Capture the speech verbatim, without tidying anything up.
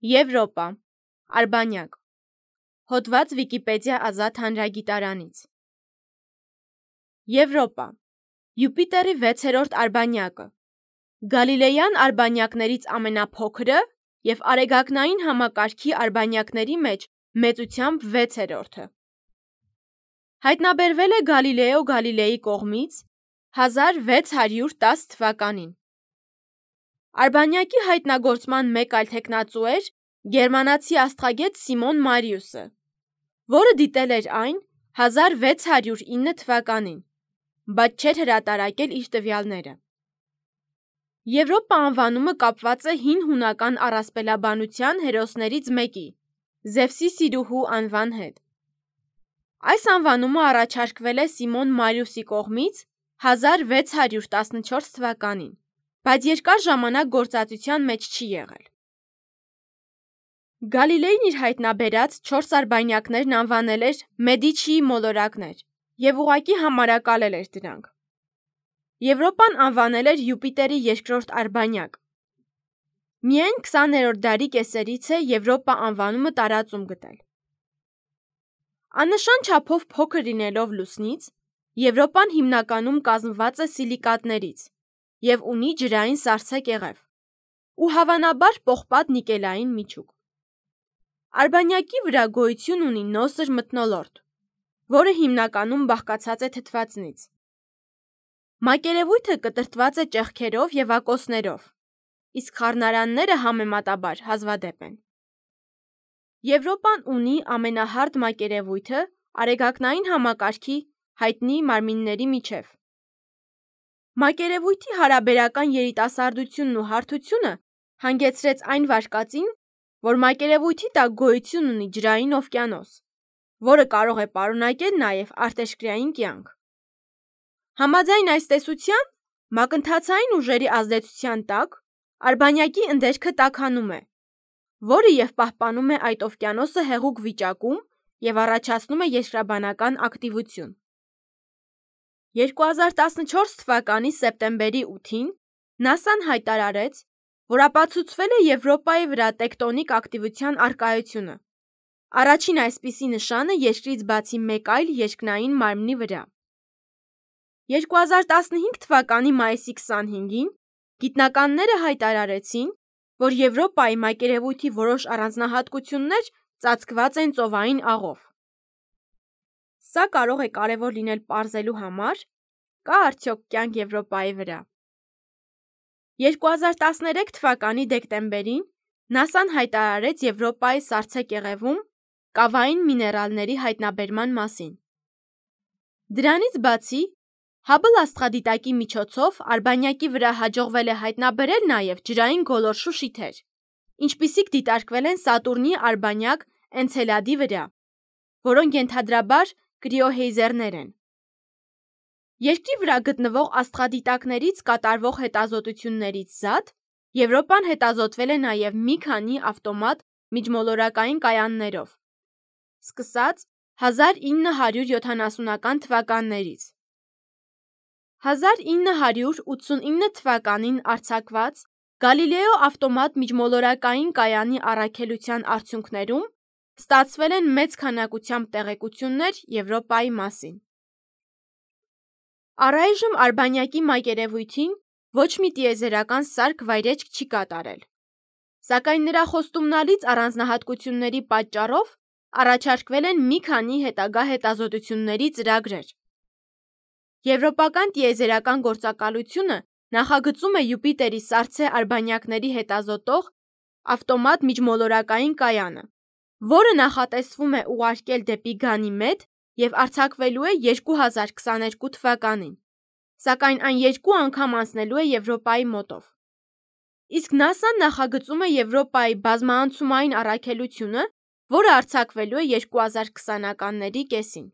Եվրոպա, Արբանյակ, հոդված Վիկիպեդիա ազատ հանրագիտարանից։ Եվրոպա, Յուպիտերի վեցերորդ արբանյակը, Գալիլեյան արբանյակներից ամենափոքրը և արեգակնային համակարգի արբանյակների մեջ մեծությամբ վեցերորդը։ Հայտնաբերվել է Գալիլեո Գալիլեի կողմից հազար վեց հարյուր տասը թվականին։ Արբանյակի հայտնագործման մեկ այլ թեկնածու էր գերմանացի աստղագետ Սիմոն Մարիուսը, որը դիտել էր այն հազար վեց հարյուր ինը թվականին, բայց չէր հրատարակել իր տվյալները։ Եվրոպա անվանումը կապված է հին հունական առասպելաբանության հերոսներից մեկի՝ Զևսի սիրուհու անվան հետ։ Այս անվանումը առաջարկվել է Սիմոն Մարիուսի կողմից հազար վեց հարյուր տասնչորս թվականին, բայց երկար ժամանակ գործածության մեջ չի եղել։ Գալիլեին իր հայտնաբերած չորս արբանյակներն անվանել էր Մեդիչիի մոլորակներ և ուղղակի համարակալել էր դրանք։ Եվրոպան անվանել էր Յուպիտերի երկրորդ արբանյակ։ Միայն քսաներորդ դարի կեսերից է Եվրոպա անվանումը տարածում գտել։ Աննշան չափով փոքր լինելով Լուսնից, Եվրոպան հիմնականում կազմված է սիլիկատներից և ունի ջրային սառցե կեղև ու հավանաբար պողպատ նիկելային միջուկ։ Արբանյակի վրա գոյություն ունի նոսր մթնոլորտ, որը հիմնականում բաղկացած է թթվածնից։ Մակերևույթը կտրտված է ճեղքերով և ակոսներով, իսկ խառնարանները համեմատաբար հազվադեպ են։ Եվրոպան ունի ամենահարդ մակերևույթը արեգակնային համակարգի հայտնի մարմինների միջև։ Մակերևույթի հարաբերական երիտասարդությունն ու հարթությունը հանգեցրեց այն վարկածին, որ մակերևույթի տակ գոյություն ունի ջրային օվկիանոս, որը կարող է պարունակել նաև արտերկրային կյանք։ Համաձայն այս տեսության, մակընթացային ուժերի ազդեցության տակ արբանյակի ընդերքը տաքանում է, որը և պահպանում է այդ օվկիանոսը հեղուկ վիճակում և առաջացնում է երկրաբանական ակտիվություն։ երկու հազար տասնչորս թվականի սեպտեմբերի ութին նասան հայտարարեց, որ ապացուցվել է Եվրոպայի վրա տեկտոնիկ ակտիվության առկայությունը, առաջին այսպիսի նշանը երկրից բացի մեկ այլ երկնային մարմնի վրա։ երկու հազար տասնհինգ թվականի մայիսի քսանհինգին գիտնականները հայտարարեցին, որ Եվրոպայի մակերևույթի որոշ առանձնահատկություններ ծածկված են ծովային աղով։ Սա կարող է կարևոր լինել պարզելու համար՝ կա՞ արդյոք կյանք Եվրոպայի վրա։ երկու հազար տասներեք թվականի դեկտեմբերին նասան հայտարարեց Եվրոպայի սառցե կեղևում կավային միներալների հայտնաբերման մասին։ Դրանից բացի, Հաբլ աստղադիտակի միջոցով արբանյակի վրա հաջողվել է հայտնաբերել նաև ջրային գոլորշու շիթեր, ինչպիսիք դիտարկվել են Սատուրնի արբանյակ Էնցելադի վրա, որոնք ենթադրաբար կրիոհեյզերներ են։ Երկրի վրա գտնվող աստղադիտակներից կատարվող հետազոտություններից զատ, Եվրոպան հետազոտվել է նաև մի քանի ավտոմատ միջմոլորակային կայաններով, սկսած հազար ինը հարյուր յոթանասունական թվականներից։ հազար ինը հարյուր ութսունինը թվականին արձակված Գալիլեո ավտոմատ միջմոլորակային կայանի առաքելության արդյունքներում ստացվել են մեծ քանակությամբ տեղեկություններ Եվրոպայի մասին։ Առայժմ արբանյակի մակերևույթին ոչ մի տիեզերական սարք վայրէջք չի կատարել, սակայն նրա խոստումնալից առանձնահատկությունների պատճառով առաջարկվել են մի քանի հետագա հետազոտությունների ծրագրեր։ Եվրոպական տիեզերական գործակալությունը նախագծում է Յուպիտերի սառցե արբանյակների հետազոտող ավտոմատ միջմոլորակային կայանը, որը նախատեսվում է ուղարկել դեպի Գանիմեդ և արձակվելու է երկու հազար քսաներկու թվականին, սակայն այն երկու անգամ անցնելու է Եվրոպայի մոտով։ Իսկ նասան նախագծում է Եվրոպայի բազմաանցումային առաքելությունը, որը արձակվելու է երկու հազար քսանականների կեսին։